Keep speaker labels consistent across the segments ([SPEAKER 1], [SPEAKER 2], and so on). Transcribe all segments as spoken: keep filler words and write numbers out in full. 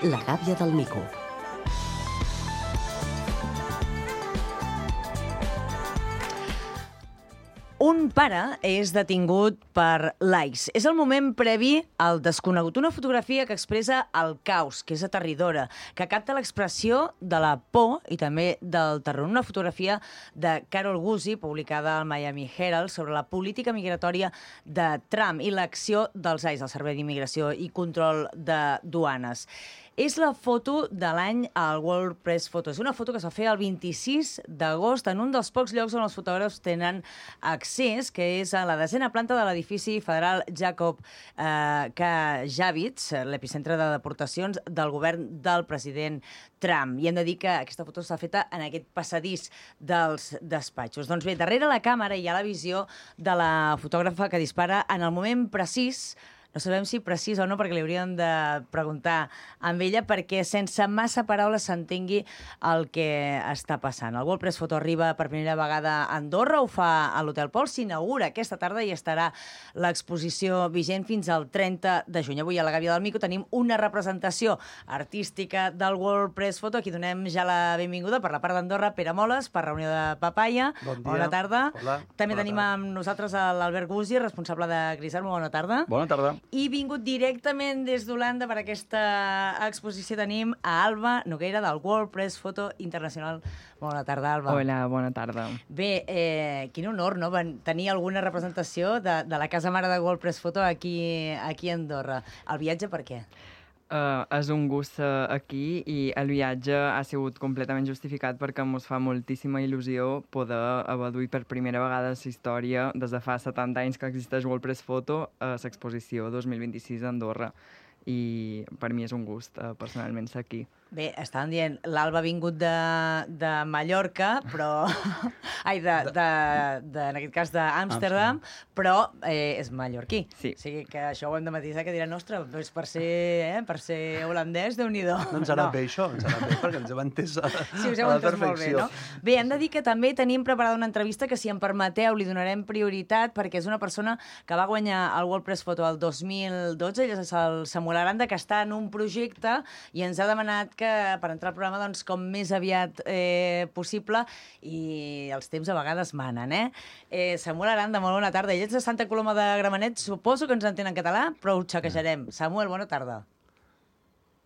[SPEAKER 1] La gàbia del mico.
[SPEAKER 2] Un pare és detingut per likes. És el moment previ al desconegut. Una fotografia que expressa el caos, que és aterridora, que capta l'expressió de la por i també del terror. Una fotografia de Carol Guzzi, publicada al Miami Herald, sobre la política migratòria de Trump i l'acció dels A I S, el Servei d'Immigració i Control de Duanes. És la foto de l'any al World Press Photo. És una foto que es va fer el vint-i-sis d'agost en un dels pocs llocs on els fotògrafs tenen accés, que és a la desena planta de l'edifici federal Jacob eh, K. Javits, l'epicentre de deportacions del govern del president Trump. I hem de dir que aquesta foto s'ha feta en aquest passadís dels despatxos. Doncs bé, darrere la càmera hi ha la visió de la fotògrafa que dispara en el moment precís. No sabem si precís o no, perquè li hauríem de preguntar amb ella, perquè sense massa paraules s'entengui el que està passant. El World Press Photo arriba per primera vegada a Andorra, ho fa a l'Hotel Pol, s'inaugura aquesta tarda i estarà l'exposició vigent fins al trenta de juny. Avui a la Gàbia del Mico tenim una representació artística del World Press Photo. Aquí donem ja la benvinguda per la part d'Andorra, Pere Moles, per Reunió de Papaya.
[SPEAKER 3] Bon dia.
[SPEAKER 2] Bona tarda.
[SPEAKER 3] Hola.
[SPEAKER 2] També
[SPEAKER 3] Bona
[SPEAKER 2] tenim
[SPEAKER 3] tarda.
[SPEAKER 2] amb nosaltres l'Albert Guzzi, responsable de Grisar. Bona tarda.
[SPEAKER 3] Bona tarda.
[SPEAKER 2] I vingut directament des d'Holanda per aquesta exposició tenim a Alba Nogueira del World Press Photo Internacional. Bona tarda, Alba.
[SPEAKER 4] Hola, bona tarda.
[SPEAKER 2] Bé, eh, quin honor, no?, tenir alguna representació de, de la casa mare de World Press Photo aquí, aquí a Andorra. El viatge per què?
[SPEAKER 4] Uh, és un gust uh, aquí i el viatge ha sigut completament justificat perquè ens fa moltíssima il·lusió poder haver duit per primera vegada la història des de fa setanta anys que existeix World Press Photo a l'exposició dos mil vint-i-sis a Andorra. I per mi és un gust, uh, personalment, ser aquí.
[SPEAKER 2] Bé, estàvem dient, l'Alba ha vingut de, de Mallorca, però... Ai, de, de, de, en aquest cas d'Amsterdam, però eh, és mallorquí.
[SPEAKER 4] Sí.
[SPEAKER 2] O sigui que això ho hem de matisar, que diran, ostres, doncs per ser, eh, per ser holandès, Déu-n'hi-do.
[SPEAKER 3] No ens ha anat bé això, ens ha anat bé perquè ens hem entès a,
[SPEAKER 2] Sí, us heu
[SPEAKER 3] a la
[SPEAKER 2] entès molt bé,
[SPEAKER 3] perfecció.
[SPEAKER 2] no? Bé, hem de dir que també tenim preparada una entrevista que, si em permeteu, li donarem prioritat perquè és una persona que va guanyar el World Press Photo el dos mil dotze, ell és el Samuel Aranda, que està en un projecte i ens ha demanat que per entrar al programa doncs, com més aviat eh, possible, i els temps a vegades manen, eh? eh Samuel Aranda, molt bona tarda. Ell ets de Santa Coloma de Gramenet, suposo que ens entén en català, però ho xequejarem. Samuel, bona tarda.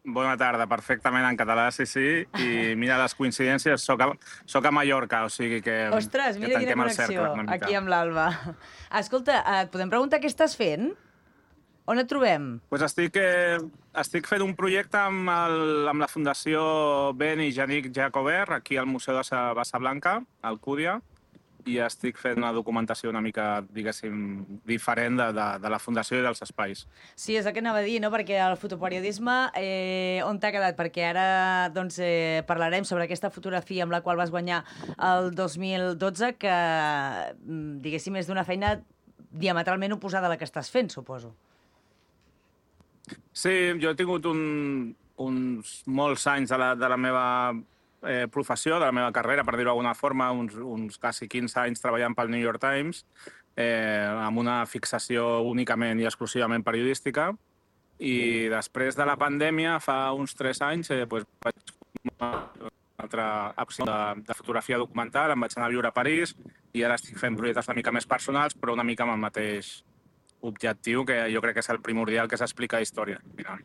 [SPEAKER 5] Bona tarda, perfectament en català, sí, sí. I mira les coincidències, soc a, soc a Mallorca, o sigui que,
[SPEAKER 2] Ostres,
[SPEAKER 5] que
[SPEAKER 2] mira quina
[SPEAKER 5] tanquem el
[SPEAKER 2] connexió,
[SPEAKER 5] cercle una mica.
[SPEAKER 2] aquí amb l'Alba. Escolta, et podem preguntar què estàs fent? On et trobem?
[SPEAKER 5] Pues estic, eh, estic fent un projecte amb, el, amb la Fundació Ben i Janik Jacobert, aquí al Museu de Sa Bassa Blanca, a Alcúdia, i estic fent una documentació una mica, diguéssim, diferent de, de, de la Fundació i dels espais.
[SPEAKER 2] Sí, és el que anava a dir, no? Perquè el fotoperiodisme, eh, on t'ha quedat? Perquè ara doncs, eh, parlarem sobre aquesta fotografia amb la qual vas guanyar el dos mil dotze, que, diguéssim, és d'una feina diametralment oposada a la que estàs fent, suposo.
[SPEAKER 5] Sí, jo he tingut un, uns molts anys de la, de la meva eh, professió, de la meva carrera, per dir-ho d'alguna forma, uns, uns quasi quinze anys treballant pel New York Times, eh, amb una fixació únicament i exclusivament periodística. I després de la pandèmia, fa uns tres anys, eh, pues, vaig una altra opció de, de fotografia documental, em vaig anar a viure a París i ara estic fent projectes una mica més personals, però una mica amb el mateix objectiu, que jo crec que és el primordial, que s'explica història. Mira.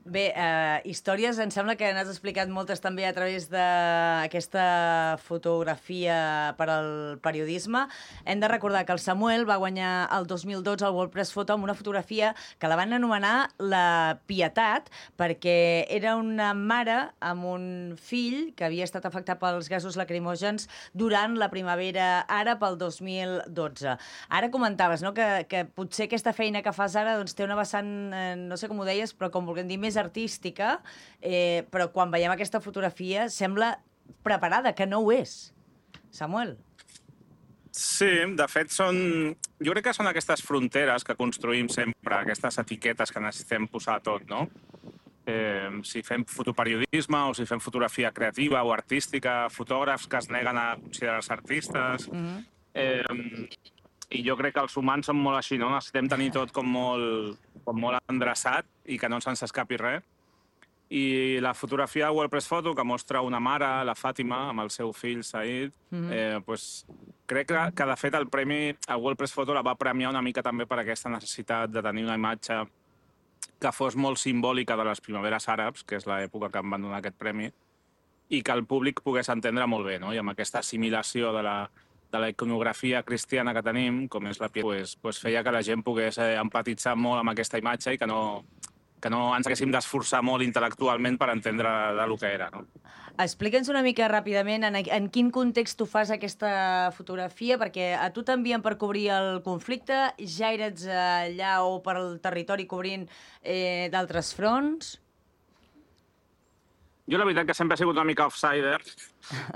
[SPEAKER 2] Bé, eh, històries, em sembla que n'has explicat moltes també a través d'aquesta fotografia per al periodisme. Hem de recordar que el Samuel va guanyar el dos mil dotze el World Press Photo amb una fotografia que la van anomenar la Pietat, perquè era una mare amb un fill que havia estat afectat pels gasos lacrimògens durant la primavera àrab el dos mil dotze. Ara comentaves, no?, que, que potser aquesta feina que fas ara doncs, té una vessant, eh, no sé com ho deies, però com vulguem dir, més artística, eh, però quan veiem aquesta fotografia sembla preparada, que no ho és. Samuel?
[SPEAKER 5] Sí, de fet, són... jo crec que són aquestes fronteres que construïm sempre, aquestes etiquetes que necessitem posar a tot, no? Eh, si fem fotoperiodisme o si fem fotografia creativa o artística, fotògrafs que es neguen a considerar-se artistes... Mm-hmm. eh, I jo crec que els humans són molt així, no? Necessitem tenir tot com molt, com molt endreçat i que no se'ns escapi res. I la fotografia de WordPress Photo, que mostra una mare, la Fàtima, amb el seu fill Said,
[SPEAKER 2] Mhm.
[SPEAKER 5] eh, pues, crec que, que, de fet, el premi a WordPress Photo la va premiar una mica també per aquesta necessitat de tenir una imatge que fos molt simbòlica de les primaveres àrabs, que és l'època que em van donar aquest premi, i que el públic pogués entendre molt bé, no? I amb aquesta assimilació de la, de la iconografia cristiana que tenim, com és la piel, pues, pues feia que la gent pogués eh, empatitzar molt amb aquesta imatge i que no, que no ens haguéssim d'esforçar molt intel·lectualment per entendre de lo que era, no?
[SPEAKER 2] Explica'ns una mica ràpidament en, en quin context tu fas aquesta fotografia, perquè a tu t'envien per cobrir el conflicte, ja eres allà o per el territori cobrint eh, d'altres fronts?
[SPEAKER 5] Jo la veritat que sempre he sigut una mica outsider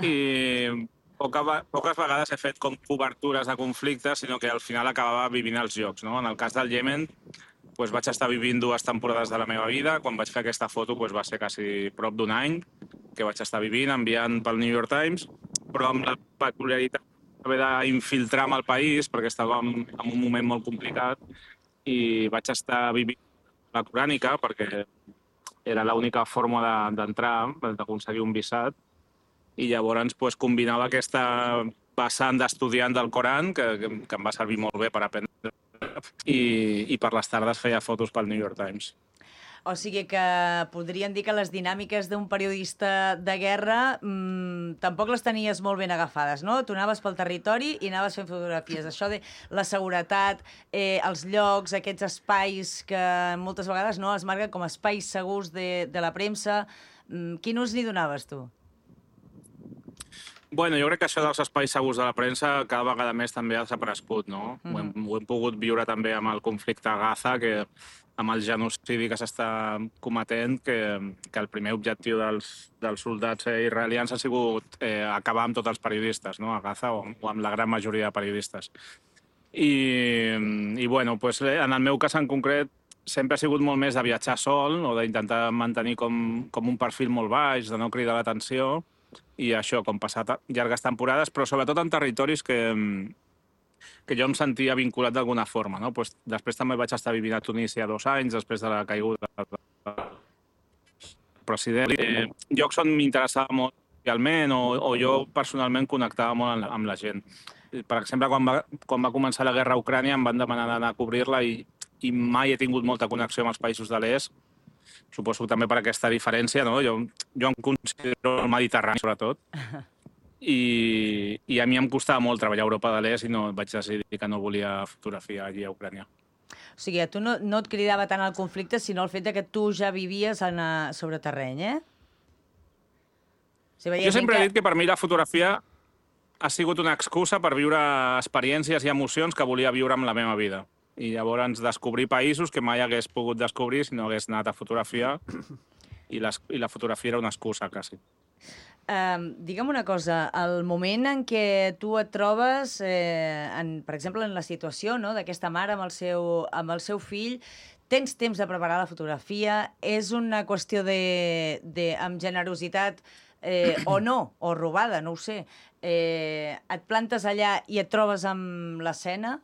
[SPEAKER 5] i poca, poques vegades he fet com cobertures de conflictes, sinó que al final acabava vivint els jocs, no? En el cas del Iemen, doncs vaig estar vivint dues temporades de la meva vida. Quan vaig fer aquesta foto doncs va ser quasi prop d'un any que vaig estar vivint, enviant pel New York Times, però amb la peculiaritat d'haver d'infiltrar-me al país, perquè estàvem en un moment molt complicat, i vaig estar vivint la corànica, perquè era l'única forma d'entrar, de, d'aconseguir un visat, i llavors pues, combinava aquesta vessant d'estudiant del Coran, que, que, que em va servir molt bé per aprendre, i, i per les tardes feia fotos pel New York Times.
[SPEAKER 2] O sigui que podríem dir que les dinàmiques d'un periodista de guerra mmm, tampoc les tenies molt ben agafades, no? Tu anaves pel territori i anaves fent fotografies. Això de la seguretat, eh, els llocs, aquests espais que moltes vegades no es marquen com espais segurs de, de la premsa, mmm, quin ús n'hi donaves tu?
[SPEAKER 5] Bueno, jo crec que això dels espais segurs de la premsa cada vegada més també ha desaparegut, no? Mm-hmm. ho, hem, ho hem pogut viure també amb el conflicte a Gaza, que amb el genocidi que s'està cometent, que, que el primer objectiu dels, dels soldats israelians ha sigut eh, acabar amb tots els periodistes, no? A Gaza, o, o amb la gran majoria de periodistes. I, i bueno, pues, en el meu cas en concret, sempre ha sigut molt més de viatjar sol, o d'intentar mantenir com, com un perfil molt baix, de no cridar l'atenció, i això, com passar llargues temporades, però sobretot en territoris que, que jo em sentia vinculat d'alguna forma, no? Pues, després també vaig estar vivint a Tunísia dos anys, després de la caiguda del president. Eh, llocs on m'interessava molt realment, o, o jo personalment connectava molt amb, amb la gent. Per exemple, quan va, quan va començar la guerra a Ucrània em van demanar d'anar a cobrir-la i, i mai he tingut molta connexió amb els països de l'est. Suposo també per aquesta diferència, no? Jo, jo em considero el Mediterrani, sobretot, i, i a mi em costava molt treballar a Europa de l'Est i no vaig decidir que no volia fotografiar allí a Ucrània.
[SPEAKER 2] O sigui, a tu no, no et cridava tant el conflicte, sinó el fet que tu ja vivies en, uh, sobre terreny, eh?
[SPEAKER 5] O sigui, jo sempre que... he dit que per mi la fotografia ha sigut una excusa per viure experiències i emocions que volia viure amb la meva vida. I llavors descobrir països que mai hagués pogut descobrir si no hagués anat a fotografiar, i, les, i la fotografia era una excusa, quasi.
[SPEAKER 2] Uh, digue'm una cosa, el moment en què tu et trobes, eh, en, per exemple, en la situació, no?, d'aquesta mare amb el, seu, amb el seu fill, tens temps de preparar la fotografia, és una qüestió de, de amb generositat eh, o no, o robada, no ho sé. Eh, et plantes allà i et trobes amb l'escena?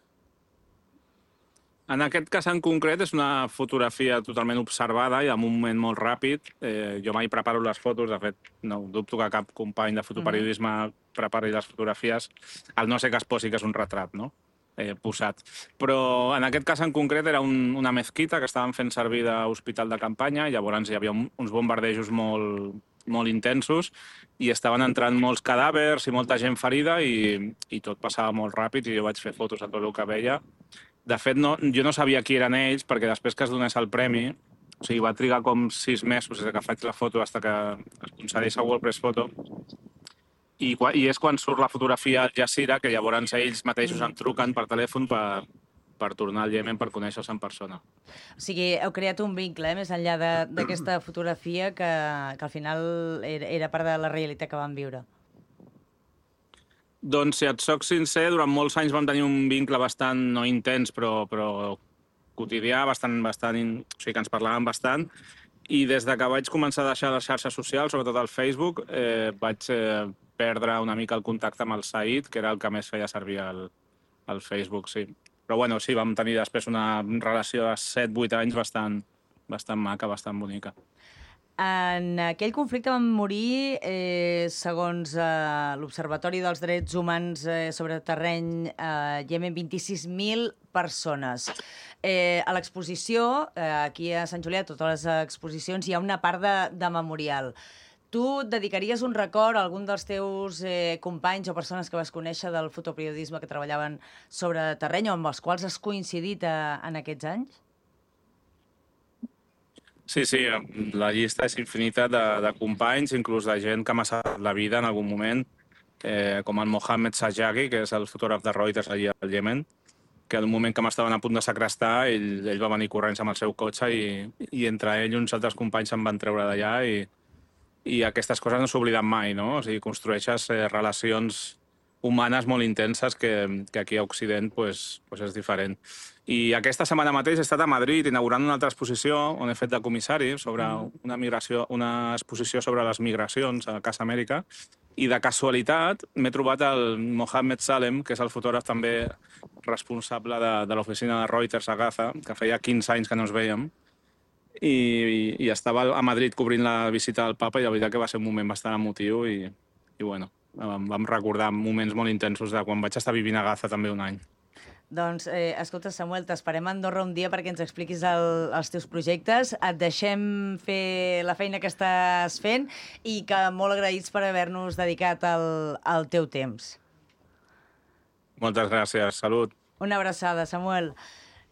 [SPEAKER 5] En aquest cas en concret és una fotografia totalment observada i en un moment molt ràpid. Eh, jo mai preparo les fotos, de fet, no dubto que cap company de fotoperiodisme prepari les fotografies, al no ser que es posi que és un retrat, no?, eh, posat. Però en aquest cas en concret era un, una mezquita que estaven fent servir d'hospital de campanya, i llavors hi havia un, uns bombardejos molt, molt intensos i estaven entrant molts cadàvers i molta gent ferida i, i tot passava molt ràpid i jo vaig fer fotos de tot el que veia. De fet, no, jo no sabia qui eren ells, perquè després que es donés el premi, o sigui, va trigar com sis mesos des que faig la foto fins que es concedeix a WordPress Photo, i, i és quan surt la fotografia al Jazeera, que llavors ells mateixos em truquen per telèfon per, per tornar al Iemen per conèixer-se en persona.
[SPEAKER 2] O sigui, heu creat un vincle, eh, més enllà d'aquesta fotografia que, que al final era, era part de la realitat que vam viure.
[SPEAKER 5] Doncs, si et soc sincer, durant molts anys vam tenir un vincle bastant, no intens, però, però quotidià, bastant, bastant, o sigui que ens parlàvem bastant, i des de que vaig començar a deixar les xarxes socials, sobretot el Facebook, eh, vaig eh, perdre una mica el contacte amb el Said, que era el que més feia servir el, el Facebook, sí. Però bueno, sí, vam tenir després una relació de set vuit anys bastant, bastant maca, bastant bonica.
[SPEAKER 2] En aquell conflicte van morir, eh, segons eh, l'Observatori dels Drets Humans eh, sobre terreny a eh, Iemen, vint-i-sis mil persones. Eh, a l'exposició, eh, aquí a Sant Julià, a totes les exposicions, hi ha una part de, de memorial. Tu et dedicaries un record a algun dels teus eh, companys o persones que vas conèixer del fotoperiodisme que treballaven sobre terreny o amb els quals has coincidit a, en aquests anys?
[SPEAKER 5] Sí, sí, la llista és infinita de, de companys, inclús de gent que m'ha salvat la vida en algun moment, eh, com el Mohammed Sajjagi, que és el fotògraf de Reuters allà al Iemen, que al moment que m'estaven a punt de segrestar, ell, ell va venir corrents amb el seu cotxe i, i entre ell i uns altres companys se'n van treure d'allà i, i aquestes coses no s'obliden mai, no? O sigui, construeixes eh, relacions humanes molt intenses que, que aquí a Occident pues, pues és diferent. I aquesta setmana mateix he estat a Madrid inaugurant una altra exposició on he fet de comissari sobre una, migració, una exposició sobre les migracions a Casa Amèrica i de casualitat m'he trobat el Mohammed Salem, que és el fotògraf també responsable de, de l'oficina de Reuters a Gaza, que feia quinze anys que no ens veiem, i, i, i estava a Madrid cobrint la visita del papa i la veritat que va ser un moment bastant emotiu i, i bueno, vam, vam recordar moments molt intensos de quan vaig estar vivint a Gaza també un any.
[SPEAKER 2] Doncs, eh, escolta, Samuel, t'esperem a Andorra un dia perquè ens expliquis el, els teus projectes. Et deixem fer la feina que estàs fent i que molt agraïts per haver-nos dedicat el, el teu temps.
[SPEAKER 5] Moltes gràcies. Salut.
[SPEAKER 2] Una abraçada, Samuel.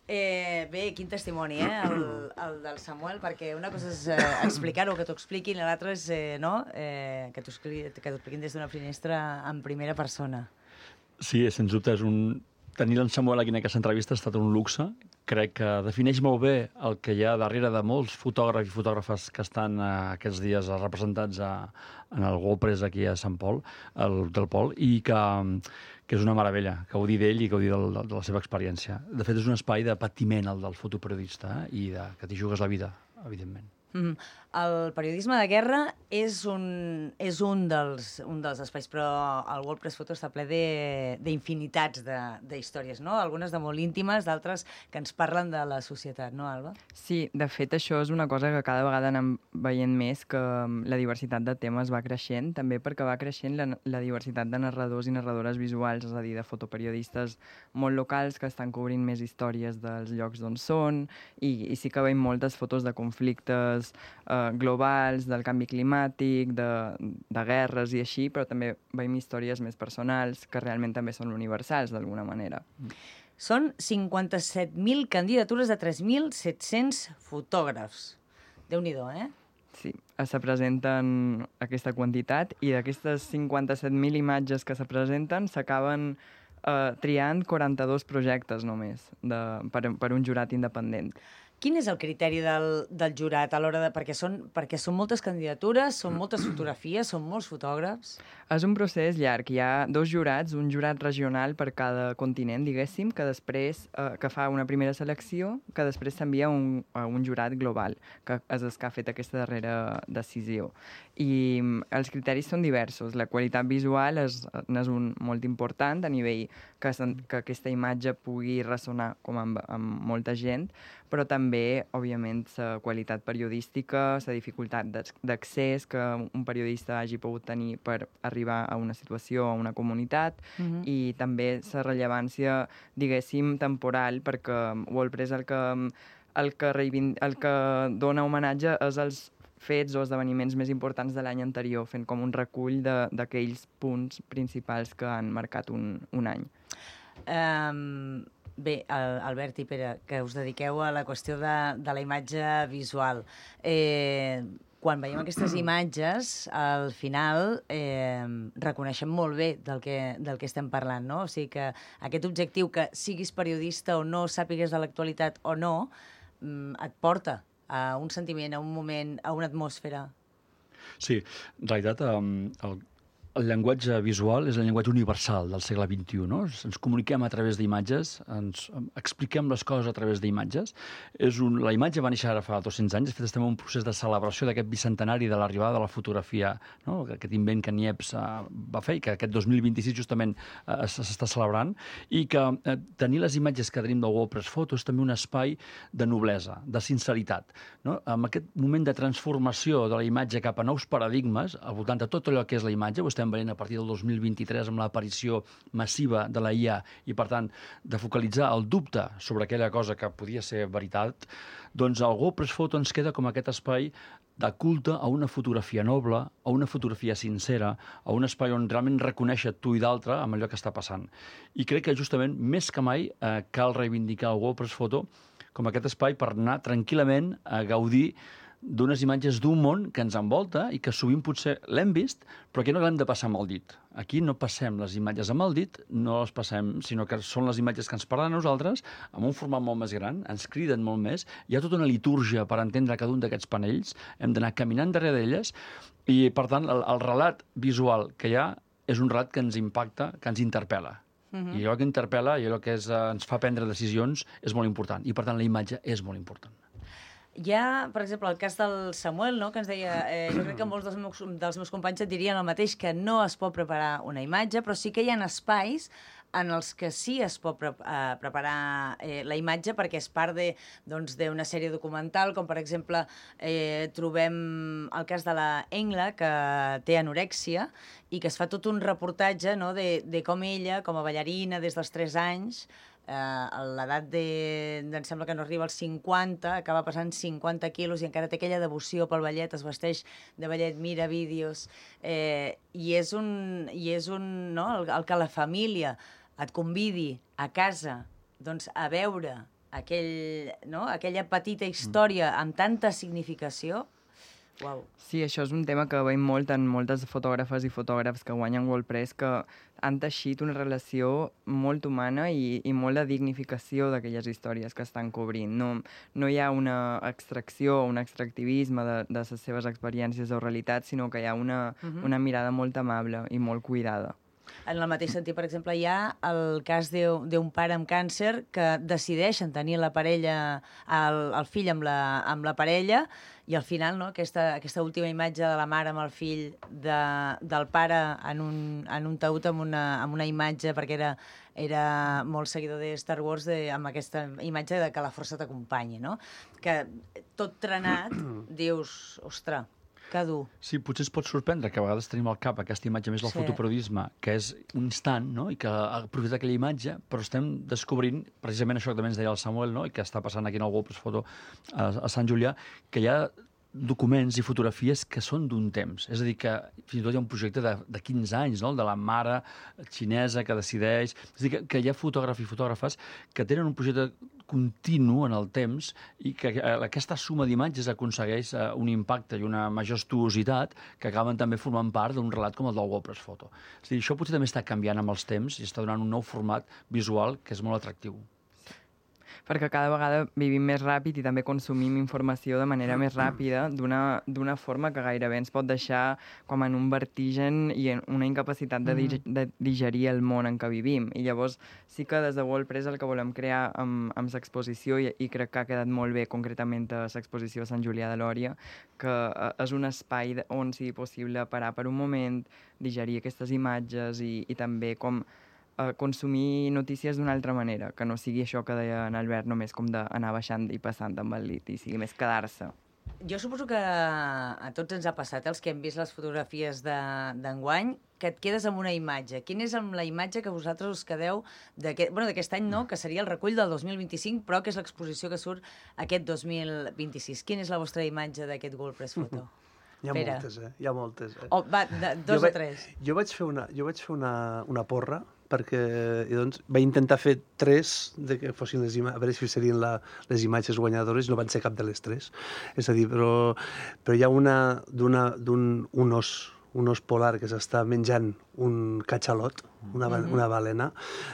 [SPEAKER 2] Eh, bé, quin testimoni, eh, el, el del Samuel, perquè una cosa és eh, explicar-ho, que t'ho expliquin, i l'altra és eh, no? eh, que t'ho expliquin des d'una finestra en primera persona.
[SPEAKER 1] Sí, sens dubte és un... Tenir en Samuel aquí en aquesta entrevista ha estat un luxe. Crec que defineix molt bé el que hi ha darrere de molts fotògrafs i fotògrafes que estan eh, aquests dies representats a, en el WordPress aquí a Sant Pol, el, del Pol, i que, que és una meravella gaudir d'ell i gaudir del, de la seva experiència. De fet, és un espai de patiment, el del fotoperiodista, eh, i de, que t'hi jugues la vida, evidentment.
[SPEAKER 2] Mm. El periodisme de guerra és un, és un, dels, un dels espais, però el WordPress Photo està ple d'infinitats d'històries, no? Algunes de molt íntimes, d'altres que ens parlen de la societat, no, Alba?
[SPEAKER 4] Sí, de fet, això és una cosa que cada vegada anem veient més, que la diversitat de temes va creixent, també perquè va creixent la, la diversitat de narradors i narradores visuals, és a dir, de fotoperiodistes molt locals que estan cobrint més històries dels llocs d'on són, i, i sí que veiem moltes fotos de conflictes eh, globals, del canvi climàtic, de, de guerres i així, però també veiem històries més personals que realment també són universals, d'alguna manera.
[SPEAKER 2] Són cinquanta-set mil candidatures de tres mil set-cents fotògrafs. Déu-n'hi-do, eh?
[SPEAKER 4] Sí, se presenten aquesta quantitat i d'aquestes cinquanta-set mil imatges que se presenten s'acaben eh, triant quaranta-dos projectes només de, per, per un jurat independent.
[SPEAKER 2] Quin és el criteri del, del jurat a l'hora de... Perquè són, perquè són moltes candidatures, són moltes fotografies, són molts fotògrafs?
[SPEAKER 4] És un procés llarg. Hi ha dos jurats, un jurat regional per cada continent, diguéssim, que després eh, que fa una primera selecció, que després s'envia un, a un jurat global, que és el que ha fet aquesta darrera decisió. I els criteris són diversos. La qualitat visual és, és un molt important a nivell que, que aquesta imatge pugui ressonar com amb, amb molta gent, però també, òbviament, la qualitat periodística, la dificultat d'accés que un periodista hagi pogut tenir per arribar a una situació, a una comunitat, uh-huh. i també la rellevància, diguéssim, temporal, perquè WordPress el que, el que, reivind... el que dona homenatge és els fets o esdeveniments més importants de l'any anterior, fent com un recull d'aquells punts principals que han marcat un, un any.
[SPEAKER 2] Um... Bé, Albert i Pere, que us dediqueu a la qüestió de, de la imatge visual. Eh, quan veiem aquestes imatges, al final eh, reconeixem molt bé del que, del que estem parlant, no? O sigui que aquest objectiu, que siguis periodista o no, sàpigues de l'actualitat o no, et porta a un sentiment, a un moment, a una atmosfera.
[SPEAKER 1] Sí, en realitat, um, el el llenguatge visual és el llenguatge universal del segle vint-i-u, no? Ens comuniquem a través d'imatges, ens expliquem les coses a través d'imatges. És un... La imatge va néixer ara fa dos-cents anys, de fet estem en un procés de celebració d'aquest bicentenari de l'arribada de la fotografia, no? Aquest invent que Niepce uh, va fer i que aquest dos mil vint-i-sis justament uh, s'està celebrant, i que uh, tenir les imatges que tenim del WordPress Photo és també un espai de noblesa, de sinceritat, no? Amb aquest moment de transformació de la imatge cap a nous paradigmes, al voltant de tot allò que és la imatge, ho estem veient a partir del dos mil vint-i-tres amb l'aparició massiva de la I A i, per tant, de focalitzar el dubte sobre aquella cosa que podia ser veritat, doncs el WordPress Photo ens queda com aquest espai de culte a una fotografia noble, a una fotografia sincera, a un espai on realment reconèixer tu i d'altre amb allò que està passant. I crec que justament, més que mai, eh, cal reivindicar el WordPress Photo com aquest espai per anar tranquil·lament a gaudir d'unes imatges d'un món que ens envolta i que sovint potser l'hem vist, però que no l'hem de passar amb el dit. Aquí no passem les imatges amb el dit, no les passem, sinó que són les imatges que ens parlen a nosaltres, amb un format molt més gran, ens criden molt més, hi ha tota una litúrgia per entendre cada un d'aquests panells, hem d'anar caminant darrere d'elles, i per tant el, el relat visual que hi ha és un relat que ens impacta, que ens interpel·la. Uh-huh. I allò que interpel·la i allò que és, uh, ens fa prendre decisions és molt important, i per tant la imatge és molt important.
[SPEAKER 2] Hi ha, per exemple, el cas del Samuel, no?, que ens deia, eh, jo crec que molts dels meus, dels meus companys et dirien el mateix, que no es pot preparar una imatge, però sí que hi ha espais en els que sí es pot pre uh, preparar eh, la imatge perquè és part de, doncs, d'una sèrie documental, com per exemple eh, trobem el cas de la Engla, que té anorèxia, i que es fa tot un reportatge, no?, de, de com ella, com a ballarina des dels tres anys, Uh, a l'edat de, em sembla que no arriba als cinquanta, acaba passant cinquanta quilos i encara té aquella devoció pel ballet, es vesteix de ballet, mira vídeos, eh, i és un, i és un no? el, el que la família et convidi a casa, doncs, a veure aquell, no? aquella petita història amb tanta significació. Wow.
[SPEAKER 4] Sí, això és un tema que veiem molt en moltes fotògrafes i fotògrafs que guanyen WordPress, que han teixit una relació molt humana i, i molt de dignificació d'aquelles històries que estan cobrint. No, no hi ha una extracció o un extractivisme de, de les seves experiències o realitats, sinó que hi ha una, uh-huh. una mirada molt amable i molt cuidada.
[SPEAKER 2] En el mateix sentit, per exemple, hi ha el cas d'un pare amb càncer que decideixen tenir la parella, el, el fill amb la, amb la parella, i al final, no, aquesta, aquesta última imatge de la mare amb el fill de, del pare en un, en un taüt amb una, amb una imatge, perquè era, era molt seguidor de Star Wars, de, amb aquesta imatge de que la força t'acompanyi, no? Que tot trenat dius, ostres, que dur.
[SPEAKER 1] Sí, potser es pot sorprendre que a vegades tenim al cap aquesta imatge més del sí. fotoperiodisme, que és un instant, no?, i que aprofita aquella imatge, però estem descobrint, precisament això que també ens deia el Samuel, no?, i que està passant aquí en el WordPress Photo a, a Sant Julià, que hi ha documents i fotografies que són d'un temps. És a dir, que fins i tot hi ha un projecte de, de quinze anys, no?, de la mare xinesa que decideix... És a dir, que, que hi ha fotògrafs i fotògrafes que tenen un projecte continu en el temps i que aquesta suma d'imatges aconsegueix un impacte i una majestuositat que acaben també formant part d'un relat com el del WordPress Photo. És a dir, això potser també està canviant amb els temps i està donant un nou format visual que és molt atractiu.
[SPEAKER 4] Perquè cada vegada vivim més ràpid i també consumim informació de manera més ràpida, d'una forma que gairebé ens pot deixar com en un vertigen i en una incapacitat de, dig de digerir el món en què vivim. I llavors sí que des de WordPress el que volem crear amb, amb l'exposició, i, i crec que ha quedat molt bé concretament a l'exposició a Sant Julià de Lòria, que és un espai on sigui possible parar per un moment, digerir aquestes imatges i, i també com a consumir notícies d'una altra manera, que no sigui això que deia en Albert, només com d'anar baixant i passant amb el lit, i sigui més quedar-se.
[SPEAKER 2] Jo suposo que a tots ens ha passat, els que hem vist les fotografies d'enguany, que et quedes amb una imatge. Quina és amb la imatge que vosaltres us quedeu d'aquest bueno, any, no?, que seria el recull del dos mil vint-i-cinc, però que és l'exposició que surt aquest dos mil vint-i-sis. Quina és la vostra imatge d'aquest WordPress Photo?
[SPEAKER 3] Hi ha
[SPEAKER 2] Pere.
[SPEAKER 3] moltes, eh? Hi ha moltes, eh?
[SPEAKER 2] Oh, va, de, dos
[SPEAKER 3] jo
[SPEAKER 2] o tres.
[SPEAKER 3] Jo vaig fer una, jo vaig fer una, una porra, perquè i doncs, vaig intentar fer tres de que fossin les imatges, a veure si serien la, les imatges guanyadores, no van ser cap de les tres. És a dir, però, però hi ha una d'un un os, un os polar que s'està menjant un catxalot, una, mm-hmm. una balena,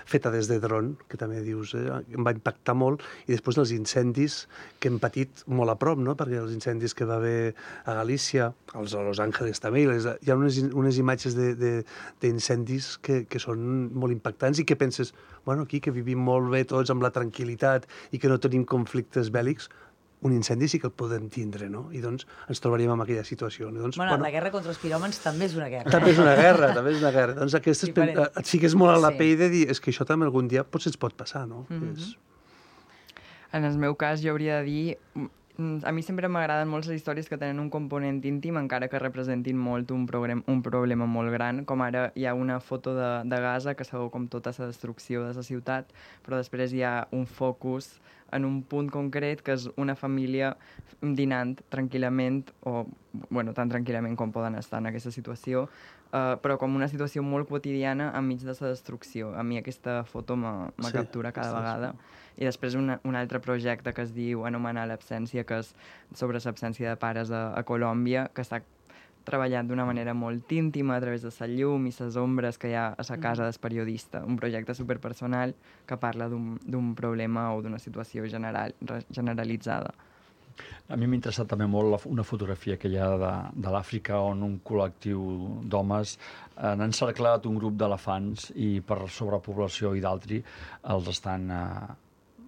[SPEAKER 3] feta des de dron, que també dius, eh, em va impactar molt, i després els incendis que hem patit molt a prop, no? Perquè els incendis que va haver a Galícia, als a Los Angeles també, les, hi ha unes, unes imatges d'incendis que, que són molt impactants i que penses, bueno, aquí que vivim molt bé tots amb la tranquil·litat i que no tenim conflictes bèl·lics, un incendi sí que el podem tindre, no? I doncs ens trobaríem en aquella situació. Doncs,
[SPEAKER 2] bueno, bueno, la guerra contra els piròmens també és una guerra.
[SPEAKER 3] També és una guerra, també és una guerra. Doncs aquesta sí, pen... et fiques molt a la
[SPEAKER 2] sí.
[SPEAKER 3] pell de dir és que això també algun dia potser ens pot passar, no?
[SPEAKER 2] Mm-hmm.
[SPEAKER 3] és...
[SPEAKER 4] En el meu cas, jo hauria de dir... A mi sempre m'agraden molt les històries que tenen un component íntim, encara que representin molt un, problem, un problema molt gran, com ara hi ha una foto de, de Gaza que sabeu com tota la destrucció de la ciutat, però després hi ha un focus en un punt concret, que és una família dinant tranquil·lament, o bueno, tan tranquil·lament com poden estar en aquesta situació, uh, però com una situació molt quotidiana enmig de la destrucció. A mi aquesta foto me, me sí, captura cada vegada. I després una, un altre projecte que es diu Anomenar l'absència, que és sobre l'absència de pares a, a Colòmbia, que està treballat d'una manera molt íntima a través de la llum i les ombres que hi ha a la casa del periodista. Un projecte superpersonal que parla d'un problema o d'una situació general, generalitzada.
[SPEAKER 1] A mi m'ha interessat també molt la, una fotografia que hi ha de, de l'Àfrica on un col·lectiu d'homes han encerclat un grup d'elefants i per sobrepoblació i d'altri els estan eh,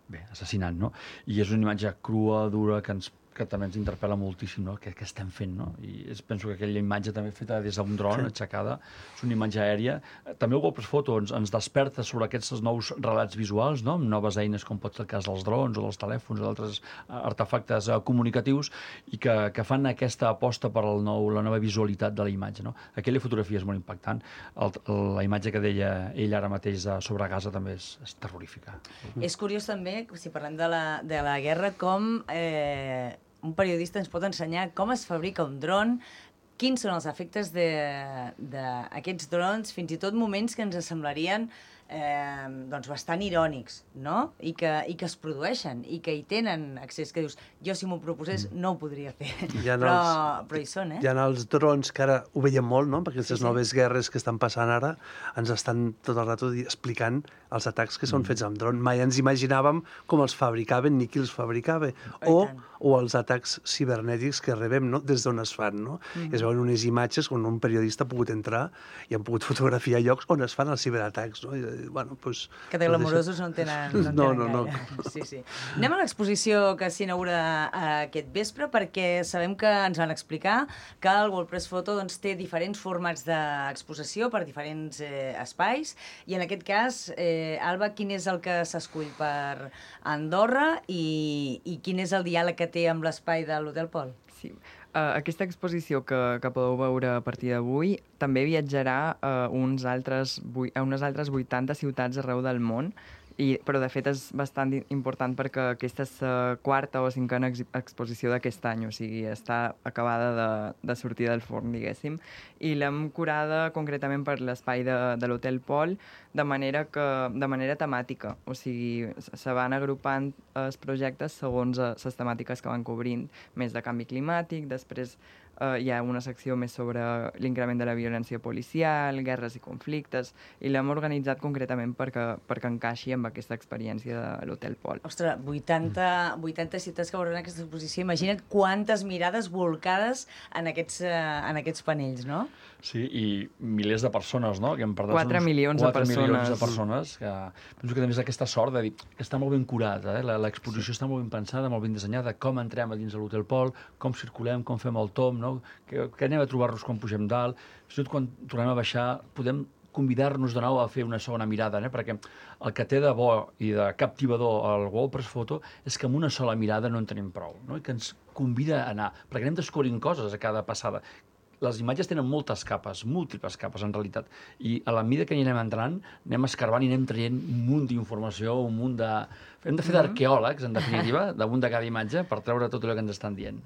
[SPEAKER 1] bé, assassinant, no? I és una imatge crua, dura, que ens que també ens interpel·la moltíssim, no? Què, què estem fent, no? I és, penso que aquella imatge també feta des d'un dron, sí. Aixecada, és una imatge aèria. També el Golpes Foto ens, ens desperta sobre aquests nous relats visuals, no? Amb noves eines, com pot ser el cas dels drons o dels telèfons o d'altres artefactes uh, comunicatius i que, que fan aquesta aposta per el nou, la nova visualitat de la imatge, no? Aquella fotografia és molt impactant. El, la imatge que deia ell ara mateix sobre Gaza també és, és terrorífica.
[SPEAKER 2] Mm. És curiós també, si parlem de la, de la guerra, com... Eh... un periodista ens pot ensenyar com es fabrica un dron, quins són els efectes d'aquests drons, fins i tot moments que ens semblarien eh, doncs bastant irònics, no? I que, i que es produeixen, i que hi tenen accés, que dius, jo si m'ho proposés no ho podria fer, però,
[SPEAKER 3] els,
[SPEAKER 2] però hi són, eh?
[SPEAKER 3] Hi ha els drons que ara ho veiem molt, no? Perquè aquestes
[SPEAKER 2] sí, sí.
[SPEAKER 3] noves guerres que estan passant ara ens estan tot el rato explicant els atacs que són mm. fets amb dron. Mai ens imaginàvem com els fabricaven ni qui els fabricava. O, o els atacs cibernètics que rebem, no? Des d'on es fan, no? Mm. Es veuen unes imatges on un periodista ha pogut entrar i han pogut fotografiar llocs on es fan els ciberatacs, no? I, bueno, pues,
[SPEAKER 2] que de glamorosos no en tenen, no en
[SPEAKER 3] no,
[SPEAKER 2] tenen
[SPEAKER 3] no,
[SPEAKER 2] gaire.
[SPEAKER 3] No.
[SPEAKER 2] Sí, sí. Anem a l'exposició que s'inaugura aquest vespre, perquè sabem que ens van explicar que el WordPress Photo doncs, té diferents formats d'exposició per diferents eh, espais, i en aquest cas, eh, Alba, quin és el que s'escull per Andorra i, i quin és el diàleg que té amb l'espai de l'Hotel Pol?
[SPEAKER 4] Sí. Uh, aquesta exposició que, que podeu veure a partir d'avui també viatjarà a, uns altres, a unes altres vuitanta ciutats arreu del món, i, però de fet és bastant important perquè aquesta és la quarta o cinquena ex exposició d'aquest any, o sigui, està acabada de, de sortir del forn, diguéssim, i l'hem curada concretament per l'espai de, de l'Hotel Pol de manera, que, de manera temàtica, o sigui, se van agrupant els projectes segons les temàtiques que van cobrint, més de canvi climàtic, després Uh, hi ha una secció més sobre l'increment de la violència policial, guerres i conflictes, i l'hem organitzat concretament perquè, perquè encaixi amb aquesta experiència de l'Hotel Pol.
[SPEAKER 2] Ostres, vuitanta, vuitanta ciutats que veuran aquesta exposició. Imagina't quantes mirades volcades en aquests, uh, en aquests panells, no?
[SPEAKER 1] Sí, i milers de persones, no? Que hem perdut
[SPEAKER 4] quatre milions de persones.
[SPEAKER 1] milions de persones. Que penso que també és aquesta sort de dir que està molt ben curat, eh? L'exposició sí. Està molt ben pensada, molt ben dissenyada, com entrem a dins de l'Hotel Pol, com circulem, com fem el tom, no? Que, que anem a trobar-nos quan pugem dalt. Fins i tot quan tornem a baixar podem convidar-nos de nou a fer una segona mirada, eh? Perquè el que té de bo i de captivador al WordPress Photo és que amb una sola mirada no en tenim prou, no? I que ens convida a anar, perquè anem descobrint coses a cada passada. Les imatges tenen moltes capes, múltiples capes, en realitat, i a la mida que hi anem entrant, anem escarbant i anem traient un munt d'informació, un munt de... Hem de fer d'arqueòlegs, en definitiva, damunt de cada imatge, per treure tot allò que ens estan dient.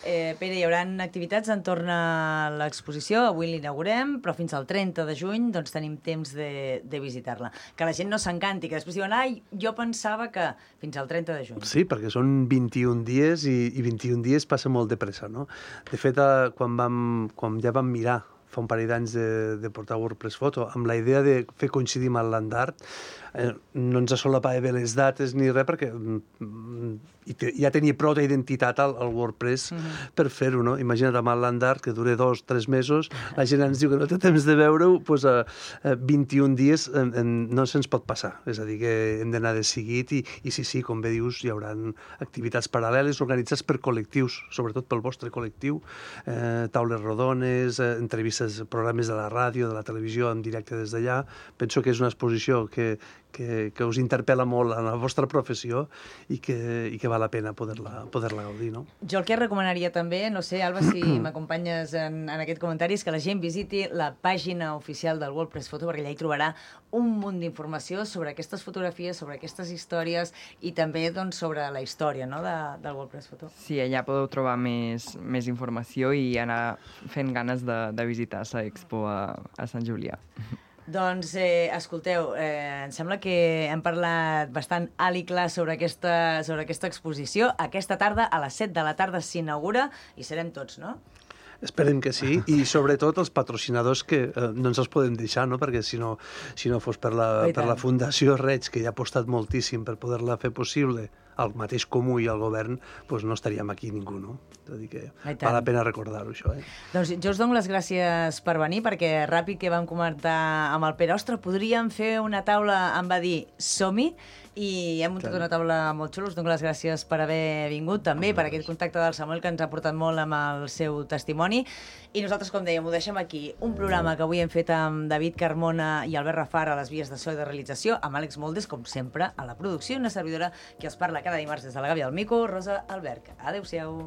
[SPEAKER 2] Eh, Pere, hi haurà activitats entorn a l'exposició, avui l'inaugurem, però fins al trenta de juny doncs, tenim temps de, de visitar-la. Que la gent no s'encanti, que després diuen, ai, jo pensava que fins al trenta de juny.
[SPEAKER 3] Sí, perquè són vint-i-un dies i, i vint-i-un dies passa molt de pressa, no? De fet, eh, quan, vam, quan ja vam mirar fa un parell d'anys de, de portar WordPress Photo, amb la idea de fer coincidir amb el Land Art. Eh, no ens solapava bé les dates ni res, perquè mm, te, ja tenia prou d'identitat al, al WordPress uh -huh. per fer-ho, no? Imagina't amb el Land Art, que dura dos, tres mesos, la gent ens diu que no té temps de veure-ho, doncs a, a vint-i-un dies en, en, no se'ns pot passar. És a dir, que hem d'anar de seguit i, i sí, sí, com bé dius, hi haurà activitats paral·leles organitzades per col·lectius, sobretot pel vostre col·lectiu, eh, taules rodones, eh, entrevistes, programes de la ràdio, de la televisió en directe des d'allà. Penso que és una exposició que, que, que us interpel·la molt en la vostra professió i que, i que val la pena poder-la poder-la gaudir, no?
[SPEAKER 2] Jo el que recomanaria també, no sé, Alba, si m'acompanyes en, en aquest comentari, és que la gent visiti la pàgina oficial del WordPress Photo, perquè allà hi trobarà un munt d'informació sobre aquestes fotografies, sobre aquestes històries i també doncs, sobre la història, no?, de, del WordPress Photo.
[SPEAKER 4] Sí, allà podeu trobar més, més informació i anar fent ganes de, de visitar l'expo a, a Sant Julià.
[SPEAKER 2] Doncs, eh, escolteu, eh, em sembla que hem parlat bastant alt i clar sobre aquesta, sobre aquesta exposició. Aquesta tarda, a les set de la tarda, s'inaugura i serem tots, no?
[SPEAKER 3] Esperem que sí, i sobretot els patrocinadors que eh, no ens els podem deixar, no? Perquè si no, si no fos per la, per la Fundació Reig, que ja ha apostat moltíssim per poder-la fer possible, el mateix Comú i el govern, doncs no estaríem aquí ningú, no? És a dir que val la pena recordar-ho, això, eh?
[SPEAKER 2] Doncs jo us dono les gràcies per venir, perquè ràpid que vam comentar amb el Pere, ostres, podríem fer una taula, em va dir, som-hi, i hem muntat una taula molt xula. Us dono les gràcies per haver vingut, també per aquest contacte del Samuel, que ens ha portat molt amb el seu testimoni. I nosaltres, com dèiem, ho deixem aquí. Un programa que avui hem fet amb David Carmona i Albert Rafar a les vies de so i de realització, amb Àlex Moldes, com sempre, a la producció, una servidora que els parla cada dimarts des de la Gàbia del Mico, Rosa Alberg. Adéu-siau.